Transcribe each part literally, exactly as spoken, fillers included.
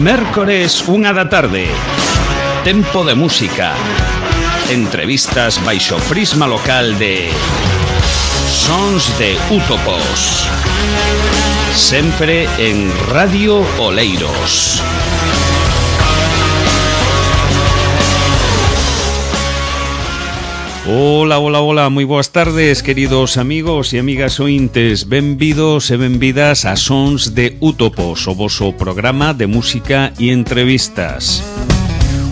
Mércores, unha da tarde. Tempo de música. Entrevistas baixo prisma local de Sons de Útopos. Sempre en Radio Oleiros. Ola, ola, ola, moi boas tardes, queridos amigos e amigas ointes. Benvidos e benvidas a Sons de Útopos, o voso programa de música e entrevistas.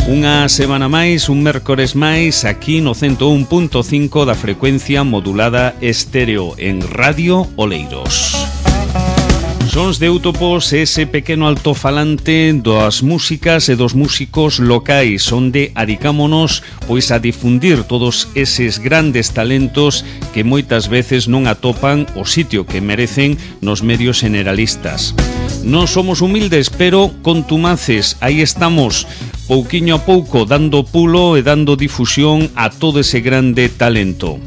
Unha semana máis, un mércores máis, aquí no ciento un punto cinco da frecuencia modulada estéreo en Radio Oleiros. Sons de Útopos, ese pequeno altofalante das músicas e dos músicos locais, onde adicámonos pois a difundir todos eses grandes talentos que moitas veces non atopan o sitio que merecen nos medios generalistas. Non somos humildes, pero contumaces, aí estamos, pouquiño a pouco, dando pulo e dando difusión a todo ese grande talento.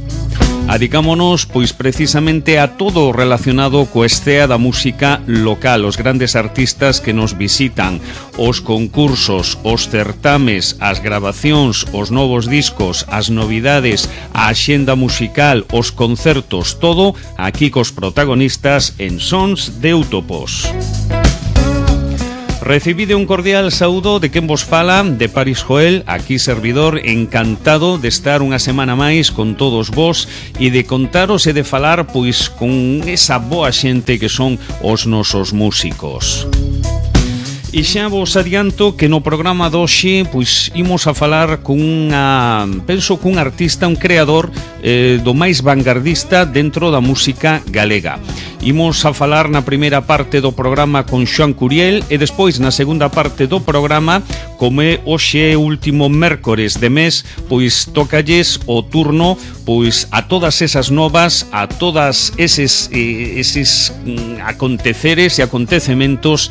Adicámonos, pois, precisamente a todo relacionado coa escena da música local, os grandes artistas que nos visitan, os concursos, os certames, as grabacións, os novos discos, as novidades, a axenda musical, os concertos, todo aquí cos protagonistas en Sons de Útopos. Recibide un cordial saúdo de quen vos fala, de Paris Joel, aquí servidor, encantado de estar unha semana máis con todos vos e de contaros e de falar pois con esa boa xente que son os nosos músicos. E xa vos adianto que no programa de hoxe pois imos a falar con unha, penso cun artista, un creador eh, do máis vanguardista dentro da música galega. Imos a falar na primeira parte do programa con Xoán Curiel e despois na segunda parte do programa, como é hoxe último mércores de mes, pois tócalles o turno pois a todas esas novas, a todas eses, eh, eses mm, aconteceres e acontecementos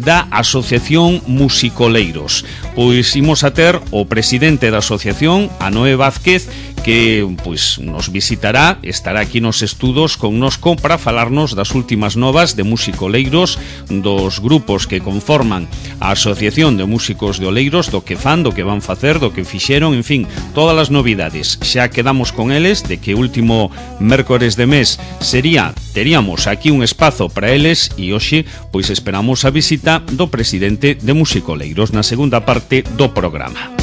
da Asociación Musicoleiros. Pois imos a ter o presidente da asociación, a Noé Vázquez, que pois nos visitará, estará aquí nos estudos connosco para falarnos das últimas novas de musicoleiros, dos grupos que conforman a Asociación de Músicos de Oleiros, do que fan, do que van facer, do que fixeron, en fin, todas as novidades. Xa quedamos con eles de que último mércores de mes sería, teríamos aquí un espazo para eles e hoxe pois esperamos a visita do presidente de Musicoleiros na segunda parte do programa.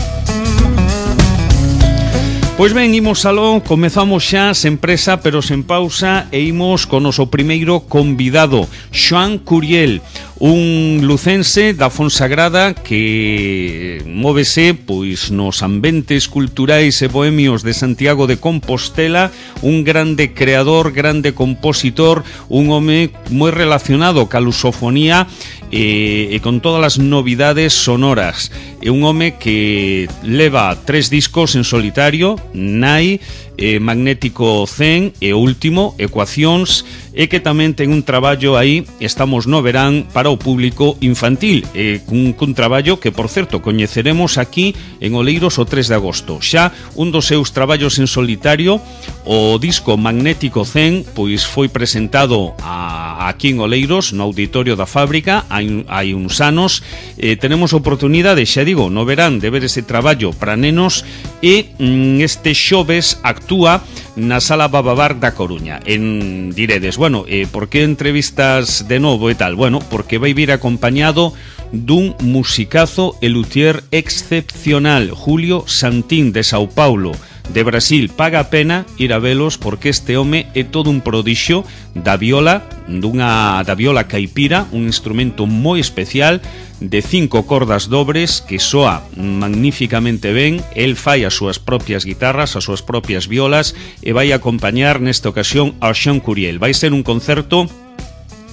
Pois ben, imos aló, comezamos xa sen presa pero sen pausa e imos con o noso primeiro convidado, Xoán Curiel, un lucense da Fonsagrada que móvese pois nos ambientes culturais e bohemios de Santiago de Compostela, un grande creador, grande compositor, un home moi relacionado ca lusofonía e, e con todas as novidades sonoras. É un home que leva tres discos en solitario, Nai, eh, Magnético cen e o último, Ecuacións, e que tamén ten un traballo aí, estamos no verán, para o público infantil, eh, cun, cun traballo que, por certo, coñeceremos aquí en Oleiros o tres de agosto. Xa un dos seus traballos en solitario, o disco Magnético cen, pois foi presentado a, aquí en Oleiros, no auditorio da fábrica, hai, hai uns anos. Eh, tenemos oportunidade, xa digo, no verán, de ver ese traballo para nenos e mm, este xoves actúa na Sala Bababar da Coruña. En diredes, bueno, eh, por que entrevistas de novo e tal? Bueno, porque vai vir acompañado dun musicazo e luthier excepcional, Julio Santín de Sao Paulo, de Brasil. Paga a pena ir a velos porque este home é todo un prodixio da viola, dunha da viola caipira, un instrumento moi especial de cinco cordas dobres que soa magníficamente ben. El fai as súas propias guitarras, as súas propias violas e vai acompañar nesta ocasión ao Xoán Curiel. Vai ser un concerto,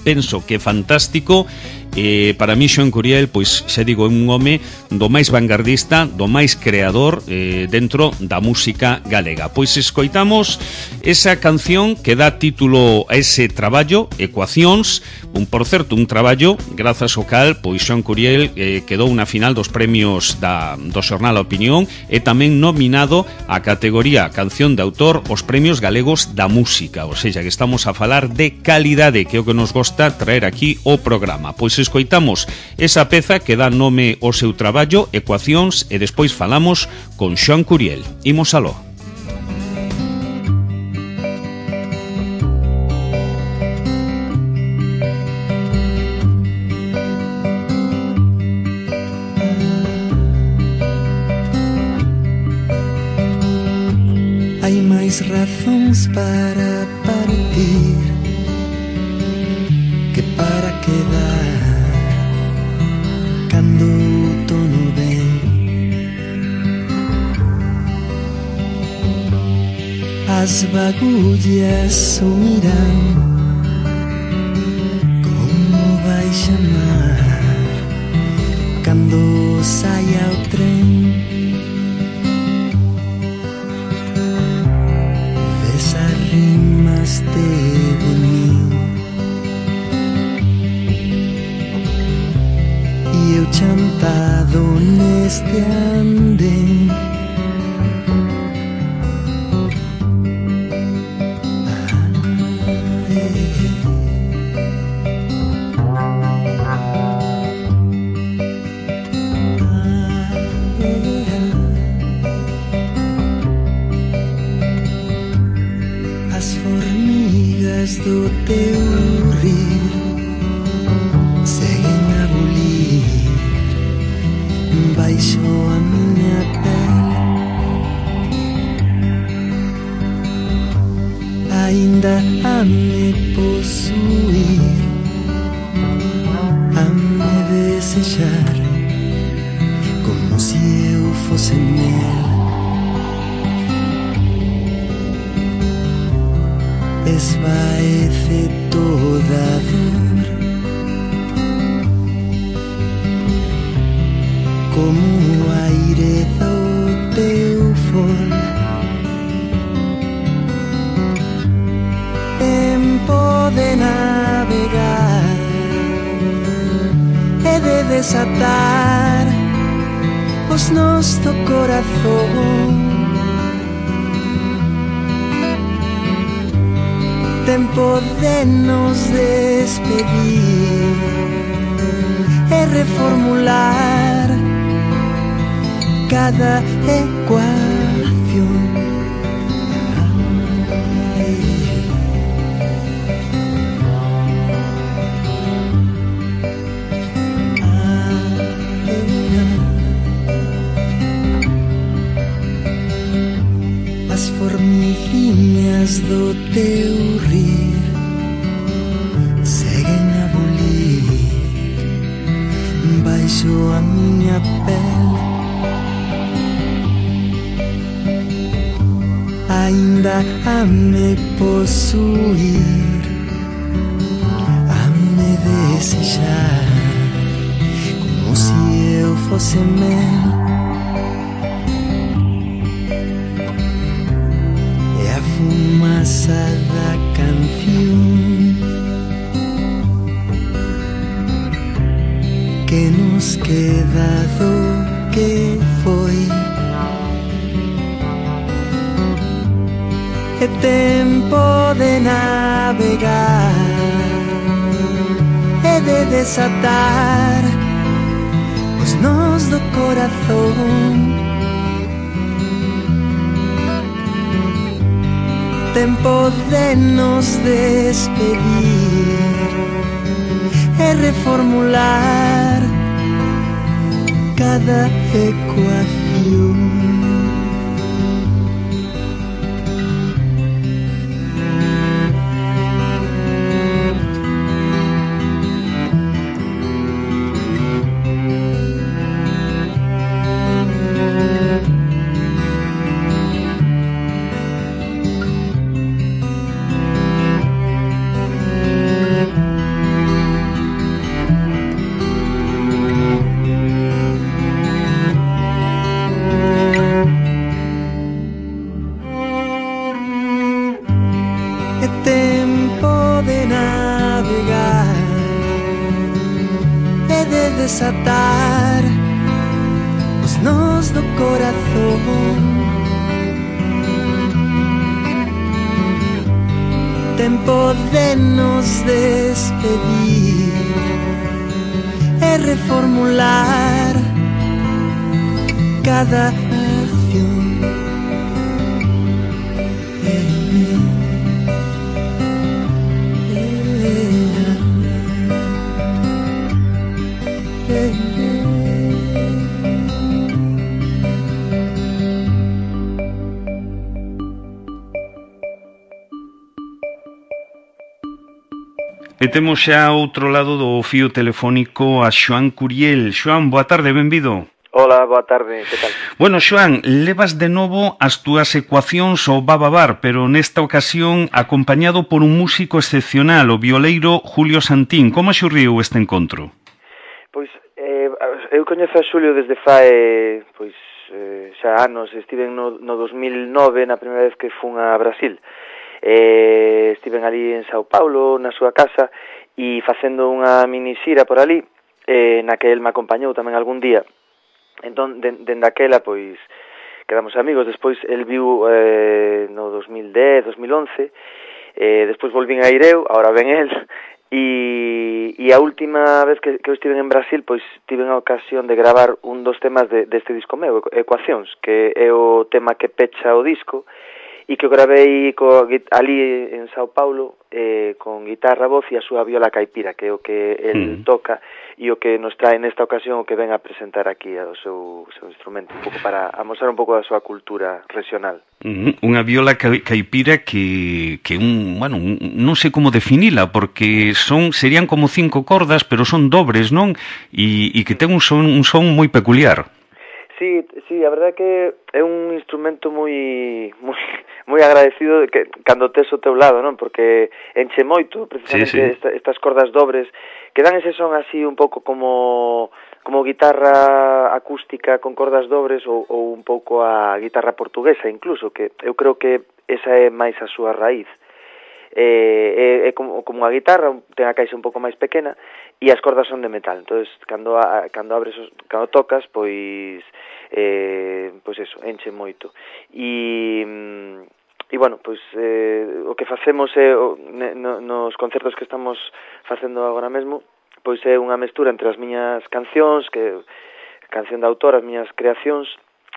penso que fantástico. Eh, para mí Xoán Curiel, pois xa digo, é un home do máis vanguardista, do máis creador eh, dentro da música galega. Pois escoitamos esa canción que dá título a ese traballo, Ecuacións, un, por certo, un traballo grazas ao cal pois Xoán Curiel eh, quedou na final dos premios da, do xornal A Opinión e tamén nominado a categoría Canción de Autor os premios galegos da música, ou seja, que estamos a falar de calidade, que é o que nos gosta traer aquí o programa. Pois escoitamos esa peza que dá nome ao seu traballo, Ecuacións, e despois falamos con Xoán Curiel. Imos aló. Hai máis razóns para partir que para quedar cando o outono ven. As bagullas sumirán como vai chamar cando saia o tren. Rimaste de mim e eu chantado neste andén. Do teu rir seguen a bulir baixo a miña pele. Ainda a me posuir, a me desexar como se eu fosse mel. Esvaece toda a dor como o aire do teu for. Tempo de navegar e de desatar os nós do corazón. Tempo de nos despedir e reformular cada ecuación. As formiguinhas do teu rir seguen a bulir baixo a miña pele. Ainda a me posuir, a me desexar como se eu fosse mel. Fumaça da canción que nos queda do que foi. É tempo de navegar e de desatar os nós do corazón. Tempo de nos despedir e reformular cada ecuación. Desatar os nós do corazón. Tempo de nos despedir reformular cada acción. E temos xa ao outro lado do fío telefónico a Xoán Curiel. Xoán, boa tarde, benvido. Hola, boa tarde, que tal? Bueno, Xoán, levas de novo as túas ecuacións ao Bababar, pero nesta ocasión acompañado por un músico excepcional, o violeiro Julio Santín. Como xurriu este encontro? Pois, eh, eu coñezo a Xulio desde fai, pois, eh, xa anos. Estiven no, no dos mil nove, na primeira vez que fun a Brasil. Eh, estiven ali en Sao Paulo, na súa casa, e facendo unha mini xira por ali, eh, na que el me acompañou tamén algún día. Entón, dende aquela, pois, quedamos amigos. Despois, el viu eh, no dos mil dez, dos mil once, eh, despois volvín a ir eu, ahora ven el, e, e a última vez que, que eu estive en Brasil, pois, tive a ocasión de gravar un dos temas de, deste disco meu, Ecuacións, que é o tema que pecha o disco, e que o gravei co, ali en Sao Paulo eh, con guitarra, voz e a súa viola caipira, que é o que el mm. toca e o que nos trae nesta ocasión, o que ven a presentar aquí o seu, seu instrumento, un pouco para amosar un pouco da súa cultura regional. Mm, unha viola caipira que, que un, bueno, un, non sei como definila, porque son serían como cinco cordas, pero son dobres, non? E, e que ten un son, un son moi peculiar. Sí, sí, a verdade é que é un instrumento moi moi moi agradecido que cando tes o teu lado, non? Porque enche moito precisamente sí, sí. Esta, estas cordas dobres que dan ese son así un pouco como como guitarra acústica con cordas dobres ou, ou un pouco a guitarra portuguesa incluso, que eu creo que esa é máis a súa raíz. Eh, é, é como, como a guitarra, ten a caixa un pouco máis pequena e as cordas son de metal. Entonces, cando a, cando abres, cando tocas, pois eh, pois eso, enche moito. E e bueno, pois eh, o que facemos é o, no, nos concertos que estamos facendo agora mesmo, pois é unha mestura entre as miñas cancións, que canción de autor, as miñas creacións,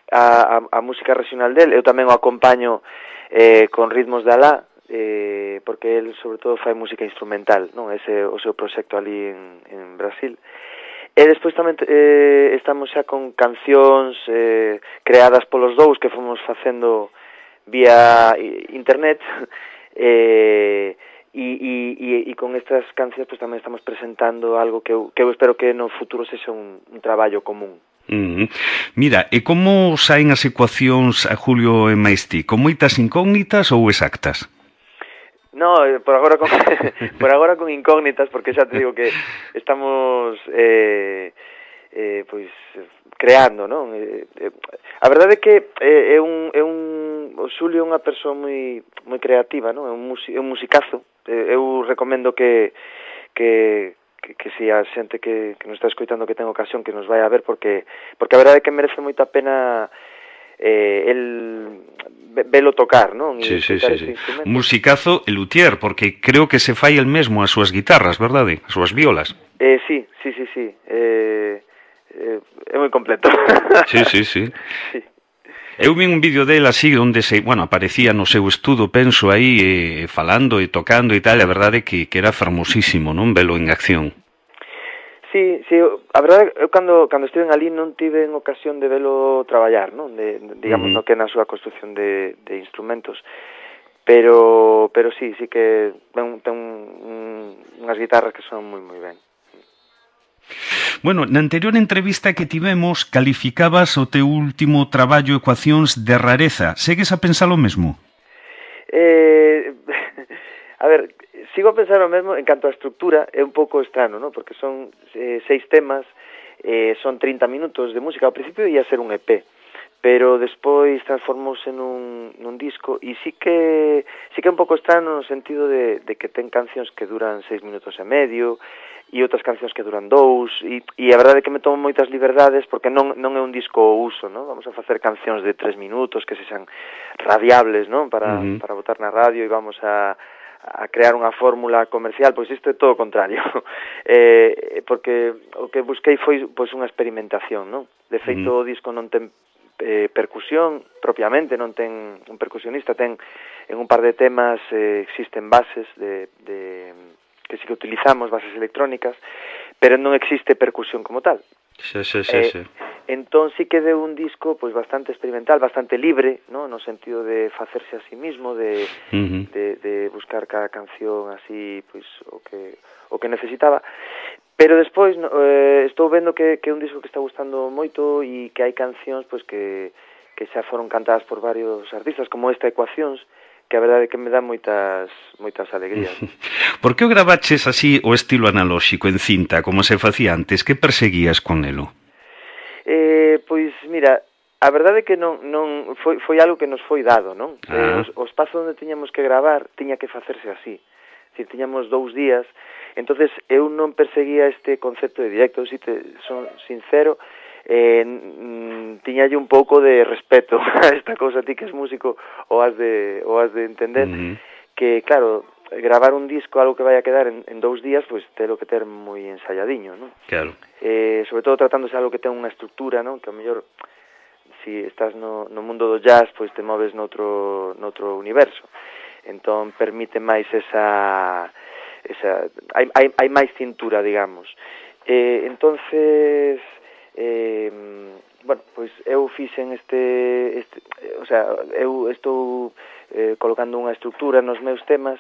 a, a, a música regional del. Eu tamén o acompaño eh, con ritmos de Alá, eh, porque el sobre todo fai música instrumental, non? Ese o seu proxecto ali en, en Brasil. E despois tamén eh, estamos xa con cancións eh, creadas polos dous que fomos facendo vía internet, eh, e, e, e con estas cancións pues, tamén estamos presentando algo que eu, que eu espero que no futuro sexa un, un traballo común. Mm. Mira, e como saen as ecuacións a Julio e Maestí? Con moitas incógnitas ou exactas? No, por agora con por agora con incógnitas, porque xa te digo que estamos eh, eh, pois creando, non? Eh, eh, a verdade é que eh, é un é un o Xulio é unha persoa moi moi creativa, non? É un musi, é un musicazo. Eh, eu recomendo que que que, que si a xente que, que nos está escoitando que ten ocasión que nos vai a ver, porque porque a verdade é que merece moita pena eh, el velo tocar, non? Sí, sí, sí, sí. Musicazo e luthier, porque creo que se fai el mesmo as súas guitarras, verdade? As súas violas. Eh, sí, sí, sí, sí. Eh, eh, é moi completo. Sí, sí, sí. Sí. Eu vi un vídeo dele así, onde se, bueno, aparecía no seu estudo, penso aí, eh, falando e tocando e tal, a verdade que, que era fermosísimo, non? Velo en acción. Sí, sí, a verdade, eu cando, cando estiven ali non tive en ocasión de velo traballar, non? De, digamos, uh-huh. no que na súa construcción de, de instrumentos, pero pero sí, sí que ten, ten un, unhas guitarras que son moi moi ben. Bueno, na anterior entrevista que tivemos calificabas o teu último traballo Ecuacións de rareza. Segues a pensar o mesmo? Eh, a ver, sigo a pensar o mesmo en canto a estructura, é un pouco estrano, ¿no? Porque son eh, seis temas, eh, son trinta minutos de música. Ao principio ia ser un E P, pero despois transformouse nun, nun disco, e sí que sí que é un pouco estrano no sentido de, de que ten cancións que duran seis minutos e medio, e outras cancións que duran dous, e, e a verdade é que me tomo moitas liberdades, porque non, non é un disco ao uso, ¿no? Vamos a facer cancións de tres minutos que sexan radiables, ¿no? Para, uh-huh. para botar na radio, e vamos a a crear unha fórmula comercial, pois isto é todo o contrario. eh, porque o que busquei foi pois unha experimentación, non? De feito, mm. o disco non ten eh, percusión propiamente, non ten un percusionista, ten en un par de temas eh, existen bases de, de que sí que utilizamos, bases electrónicas, pero non existe percusión como tal. Sí, sí, sí, eh, sí. Entón sí que deu un disco pois bastante experimental, bastante libre, ¿no? No sentido de facerse a sí mismo, de, uh-huh. de, de buscar cada canción así, pois o que o que necesitaba. Pero despois no, eh, estou vendo que que é un disco que está gustando moito e que hai cancións pois que que xa foron cantadas por varios artistas, como esta Ecuacións, que a verdade é que me dá moitas moitas alegrías. Por que o gravaches así o estilo analóxico en cinta, como se facía antes? Que perseguías con elo? Eh, pois, mira, a verdade é que non, non foi, foi algo que nos foi dado, non? Ah. Eh, o, o espazo onde tiñamos que gravar tiña que facerse así. Es decir, tiñamos dous días, entonces eu non perseguía este concepto de directo, si te son sincero, eh, tiñalle un pouco de respeto a esta cousa, ti que és músico o has de, o has de entender, uh-huh. que, claro, gravar un disco, algo que vai a quedar en, en dous días, pois pues, telo que ter moi ensayadiño, non? Claro. Eh, sobre todo tratándose de algo que ten unha estructura, non? Que ao mellor, si estás no, no mundo do jazz, pois te moves noutro, noutro universo. Entón, permite máis esa... esa hai, hai, hai máis cintura, digamos. Eh, entonces, eh, bueno, pois eu fixen este... este o sea, eu estou eh, colocando unha estructura nos meus temas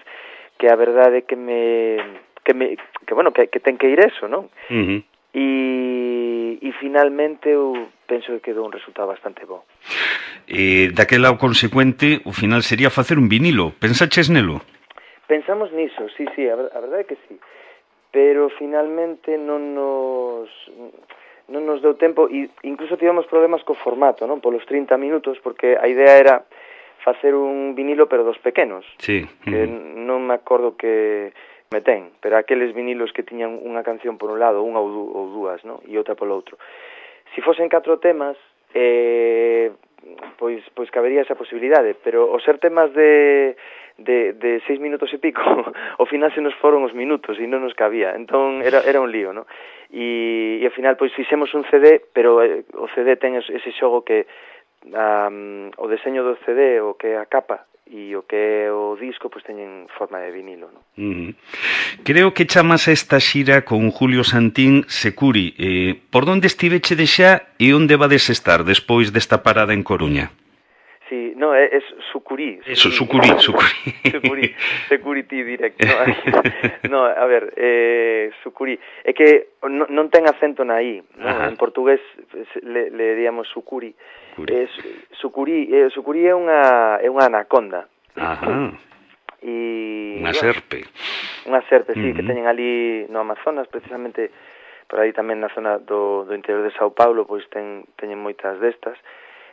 que a verdade é que me... que, me, que bueno, que, que ten que ir eso, non? Uh-huh. E, e finalmente eu penso que quedou un resultado bastante bo. E daquela o consecuente, o final sería facer un vinilo. Pensaches nelo? Pensamos niso, sí, sí, a, a verdade é que sí. Pero finalmente non nos non nos deu tempo e incluso tivemos problemas co formato, non? Polos trinta minutos, porque a idea era facer un vinilo pero dos pequenos. Sí. Que uh-huh. non me acordo que me ten, pero aqueles vinilos que tiñan unha canción por un lado, unha ou, du, ou dúas, ¿no? E outra polo outro. Si fosen catro temas, eh, pois pois cabería esa posibilidade, pero os ser temas de de de seis minutos e pico, ao final se nos foron os minutos e non nos cabía. Entón era era un lío, ¿no? E, e ao final pois fixemos un C D, pero eh, o C D ten ese xogo que um, o deseño do C D, o que é a capa e o que é o disco, pois teñen forma de vinilo, non? Uh-huh. Creo que chamas a esta xira con Julio Santín Securi. Eh, por onde estiveche de xa e onde vades estar despois desta parada en Coruña? Sí, no, é, é Sucuri. Eso, Sucuri, Sucuri. Sucuri, Security Direct. No, no, a ver, eh, Sucuri. É que non, non ten acento na I, no? En portugués le, le diríamos Sucuri. Eh, Sucuri, eh, Sucuri é unha é unha anaconda. Ajá. E unha serpe. Unha serpe, sí, uh-huh. que teñen ali no Amazonas, precisamente por aí tamén na zona do, do interior de Sao Paulo, pois ten, teñen moitas destas.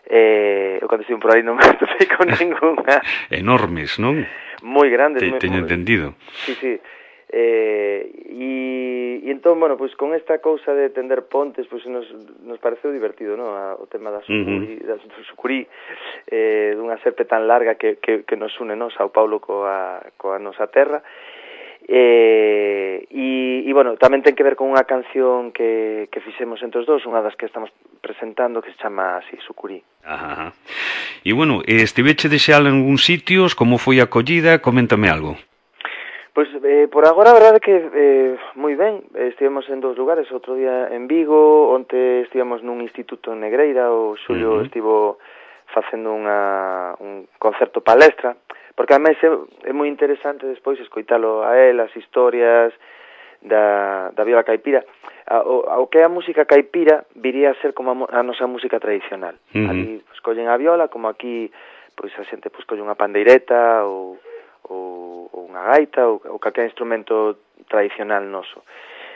Eh, eu cando estive por aí non me atopei con ninguna. Enormes, non? Moi grandes. Te, moi, teño moi... entendido. Sí, sí. Eh, e, e entón, bueno, pois con esta cousa de tender pontes, pois nos, nos pareceu divertido, non? O tema da Sucuri, uh-huh. da Sucuri, eh, dunha serpe tan larga que, que, que nos une, non? Sao Paulo coa, coa nosa terra. Eh, e, e, bueno, tamén ten que ver con unha canción que, que fixemos entre os dous, unha das que estamos presentando, que se chama así, Sucuri. Ajá. E, bueno, estiveche de xa en algún sitios, como foi a acollida? Coméntame algo. Pois, eh, por agora, a verdade que eh, moi ben, estivemos en dous lugares, outro día en Vigo, onte estivemos nun instituto en Negreira, o Xulio uh-huh. estivo facendo unha, un concerto palestra, porque ademais é, é moi interesante despois escoitalo a él, as historias da, da viola caipira. A, o, o que é a música caipira viría a ser como a, a nosa música tradicional. Uh-huh. Ali pues, collen a viola, como aquí pois a xente pues, colle unha pandeireta ou, ou, ou unha gaita ou, ou calquer instrumento tradicional noso.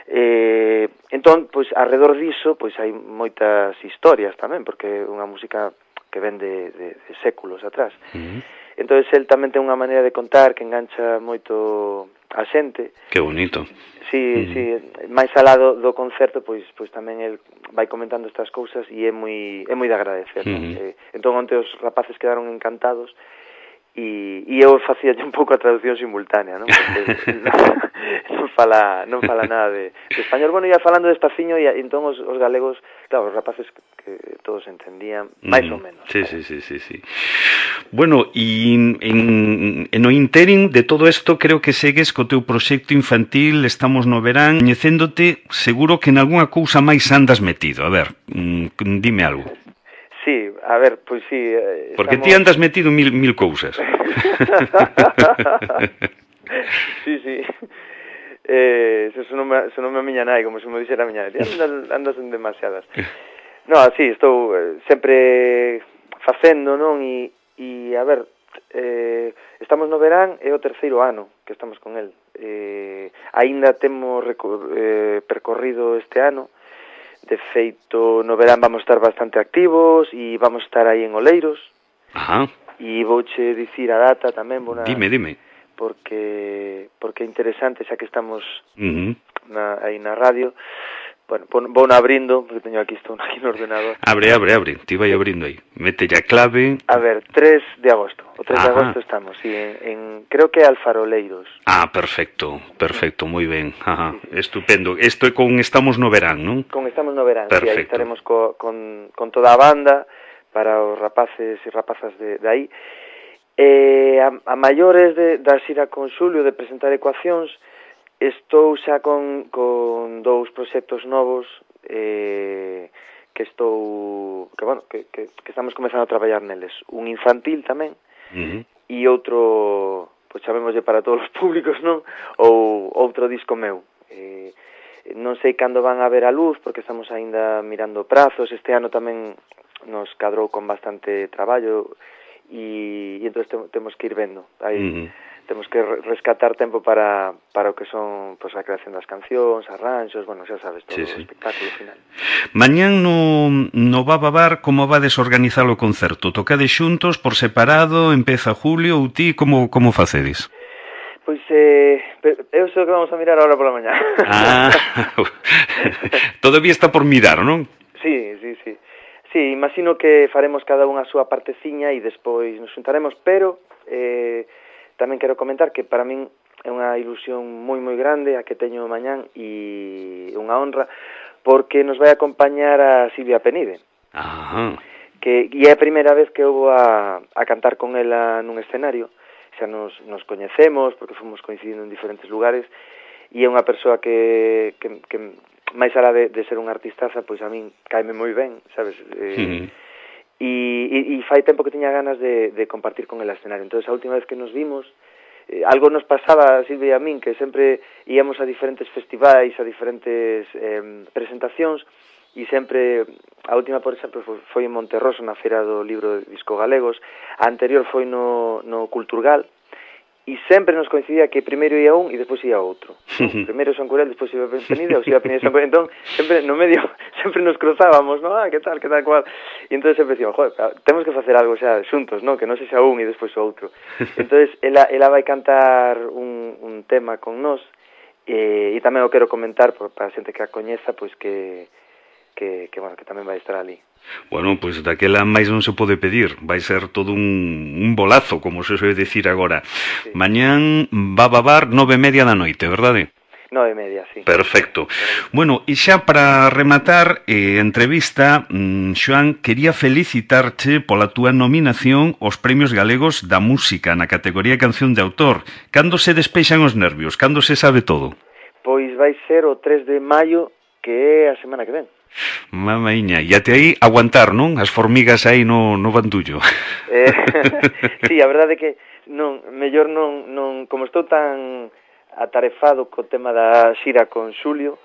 Eh, entón, pois, alrededor diso, pois hai moitas historias tamén, porque é unha música que ven de, de, de séculos atrás. Uh-huh. Entón, el tamén ten unha maneira de contar que engancha moito a xente. Que bonito. Sí, uh-huh. sí, máis alá do, do concerto, pois pois tamén el vai comentando estas cousas e é moi é moi de agradecer. Uh-huh. Eh, entón, onte os rapaces quedaron encantados e, e eu facía un pouco a traducción simultánea, non? Porque non, non fala non fala nada de, de español. Bueno, ia falando despaciño e entón os, os galegos, claro, os rapaces que, que todos entendían, máis mm, ou menos. Sí, sí, sí, sí, sí. Bueno, e en, en o interim de todo isto creo que segues co teu proxecto infantil, estamos no verán, coñecéndote, seguro que en algunha cousa máis andas metido. A ver, mm, dime algo. Sí, a ver, pois sí. Eh, Porque estamos... ti andas metido en mil, mil cousas. Sí, sí. Eh, se non me, se non me a miña nai, como se me dixera a miña nai, andas, andas en demasiadas. No, sí, estou eh, sempre facendo, non? E, e a ver, eh, estamos no verán, é o terceiro ano que estamos con el. Eh, aínda temos eh, percorrido este ano. De feito, no verán vamos estar bastante activos e vamos estar aí en Oleiros. Ajá. E vouche dicir a data tamén, bona, dime, dime. Porque porque é interesante, xa que estamos uh-huh. na, aí na radio. Bueno, vou na abrindo, porque teño aquí, estou aquí no ordenador. Abre, abre, abre, ti vai abrindo aí. Mete a clave. A ver, tres de agosto. O tres Ajá. de agosto estamos, sí, en, en creo que Alfaroleiros. Ah, perfecto, perfecto, moi ben. Ajá, sí, sí. Estupendo. Isto é con Estamos no Verán, non? Con Estamos no Verán, perfecto. Sí, aí estaremos co, con, con toda a banda para os rapaces e rapazas de, de aí. Eh, a, a maiores de, da xira con Xulio de presentar ecuacións, estou xa con, con dous proxectos novos eh, que estou que, bueno, que, que, que estamos comezando a traballar neles. Un infantil tamén, uh-huh. E outro, pois chamémoslle para todos os públicos, non? Ou outro disco meu. Eh, non sei cando van a ver a luz, porque estamos aínda mirando prazos. Este ano tamén nos cadrou con bastante traballo e, e entón temos que ir vendo. Aí, uh-huh. Temos que rescatar tempo para, para o que son pues, a creación das cancións, arranxos, bueno, xa sabes, todo sí, sí. O espectáculo final. Mañán no, no Baba Bar, como vades organizar o concerto? Tocades xuntos, por separado, empeza julio, ou ti, como, como facedes? Pois, eh, eu sei que vamos a mirar ahora pola mañá. Ah, todavía está por mirar, non? Sí, sí, sí. Sí, imagino que faremos cada unha a súa parteciña e despois nos xuntaremos, pero... Eh, tamén quero comentar que para min é unha ilusión moi moi grande a que teño mañán e unha honra porque nos vai acompañar a Silvia Penide. Ajá. Que e é a primeira vez que eu vou a, a cantar con ela nun escenario. Xa nos, nos coñecemos porque fomos coincidindo en diferentes lugares e é unha persoa que, que, que máis alá de, de ser unha artistaza, pois a min caime moi ben, sabes? Eh, uh-huh. E, e, e fai tempo que tiña ganas de, de compartir con el escenario. Entón, a última vez que nos vimos, eh, algo nos pasaba a Silvia e a min, que sempre íamos a diferentes festivais, a diferentes eh, presentacións, e sempre, a última, por exemplo, foi en Monterroso, na Feira do Libro de Disco Galegos, a anterior foi no, no Culturgal, e sempre nos coincidía que primeiro ia un e despois ia outro. Uh-huh. Primeiro Son Curel, despois iba Penide, ou se iba Penide Son Curel. Entón, sempre no medio, sempre nos cruzábamos, ¿no? Ah, que tal, que tal, cual. E entón sempre decíamos, joder, temos que facer algo xa xuntos, ¿no? Que non sexa un e despois o outro. Entón, ela, ela vai cantar un, un tema con nós, e, e tamén o quero comentar para a xente que a coñeza, pois que... Que, que, bueno, que tamén vai estar ali. Bueno, pois pues daquela máis non se pode pedir. Vai ser todo un, un bolazo, como se soe decir agora. Sí. Mañán Baba Bar, nove e media da noite, verdade? Nove e media, sí. Perfecto. Bueno, e xa para rematar eh, a entrevista, mm, Xoán, quería felicitarche pola túa nominación aos Premios Galegos da Música na categoría Canción de Autor. Cando se despexan os nervios? Cando se sabe todo? Pois vai ser o tres de maio, que é a semana que ven. Mamaiña, e até aí aguantar, non? As formigas aí no, no bandullo. Eh, sí, a verdade é que non, mellor non, non, como estou tan atarefado co tema da xira con Xulio,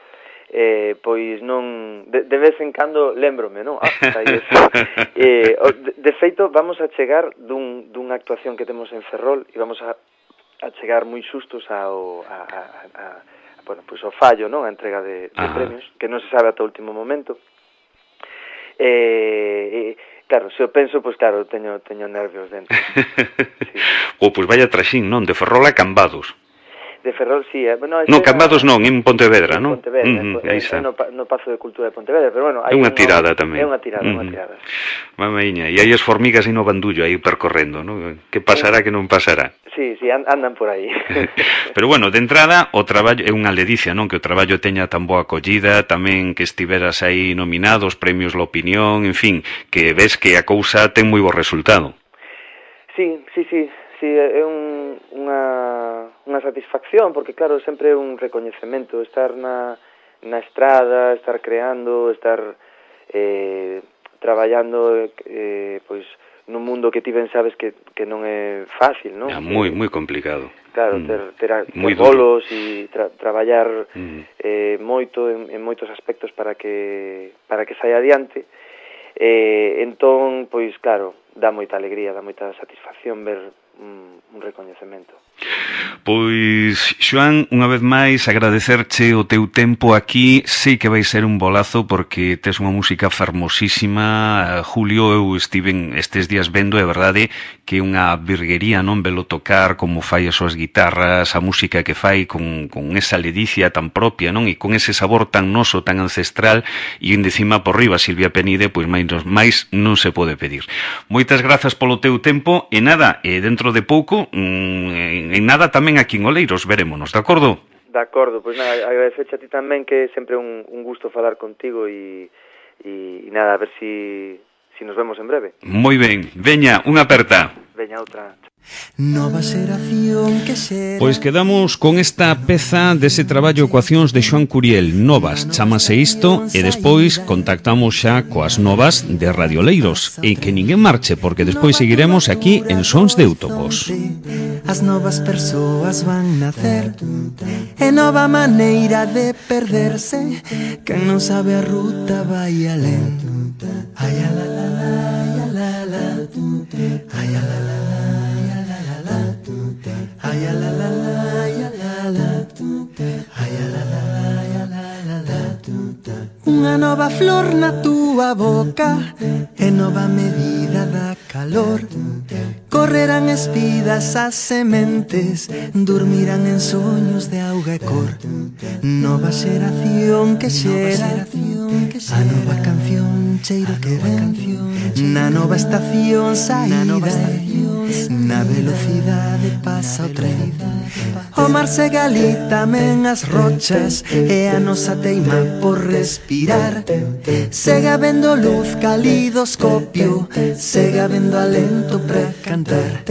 eh, pois non, de, de vez en cando lembrome, non? Ah, aí eso. eh, de, de feito, vamos a chegar dun, dunha actuación que temos en Ferrol e vamos a, a chegar moi xustos ao, a, a, a bueno, pois o fallo, non? A entrega de, de premios, que non se sabe ata o último momento. Eh, eh, claro, se o penso, pois claro, teño teño nervios dentro. Sí. O, pois vaya traxín, non? De Ferrol a Cambados. De Ferrol, sí. Eh. Bueno, no, Cambados non, en Pontevedra, non? En Pontevedra, uh -huh, é, é no, no Pazo de Cultura de Pontevedra, pero bueno... É unha tirada tamén. É unha tirada, uh -huh. unha tirada. Mamaiña, e hai as formigas e no bandullo aí percorrendo, non? Que pasará, que non pasará? Sí, sí, andan por aí. Pero bueno, de entrada, o traballo é unha ledicia, non? Que o traballo teña tan boa acollida, tamén que estiveras aí nominado, os premios La Opinión, en fin, que ves que a cousa ten moi bo resultado. Sí, sí, sí. Sí, é un, unha, unha satisfacción, porque claro, sempre é un recoñecemento, estar na, na estrada, estar creando, estar eh, traballando eh, pois, nun mundo que ti ben sabes que, que non é fácil, non? É moi, moi complicado. Claro, ter, ter, ter bolos e tra, traballar mm. eh, moito en, en moitos aspectos para que, para que saia adiante. Eh, entón, pois claro, dá moita alegría, dá moita satisfacción ver un, un recoñecemento. Pois, Xoán, unha vez máis agradecerche o teu tempo aquí. Sei que vai ser un bolazo porque tes unha música fermosísima. Julio, eu estiven estes días vendo, é verdade que é unha virguería, non, velo tocar, como fai as súas guitarras, a música que fai con, con esa ledicia tan propia, non, e con ese sabor tan noso, tan ancestral, e en decima por riba Silvia Penide, pois máis, máis non se pode pedir. Moitas grazas polo teu tempo, e nada, e dentro de pouco, mmm, en nada tamén aquí en Oleiros, verémonos, de acordo? De acordo, pois nada, agradecerche a ti tamén, que é sempre un, un gusto falar contigo, e, e, e nada, a ver si, si nos vemos en breve. Moi ben, veña, unha aperta. Veña, outra. Nova xeración que xera. Pois quedamos con esta peza dese traballo Ecuacións de Xoán Curiel, Novas, chamase isto, e despois contactamos xa coas novas de Radio Oleiros, e que ninguén marche, porque despois seguiremos aquí en Sons de Autobos. As novas persoas van nacer, e nova maneira de perderse, quen non sabe a ruta vai alén. Ai a la la la, ai a la la, ai a la la la, ay a la la la, ay a la la, ay a la la la, ay a la la la. Unha nova flor na túa boca, e nova medida da calor. Correrán espidas as sementes, dormirán en soños de auga e cor. Nova xeración que xera, a nova canción cheiro que ven, na nova estación saída, na velocidade pasa o tren. O mar se galita men as rochas, e a nosa teima por respirar. Sega vendo luz, calidoscopio, sega vendo alento para cantar.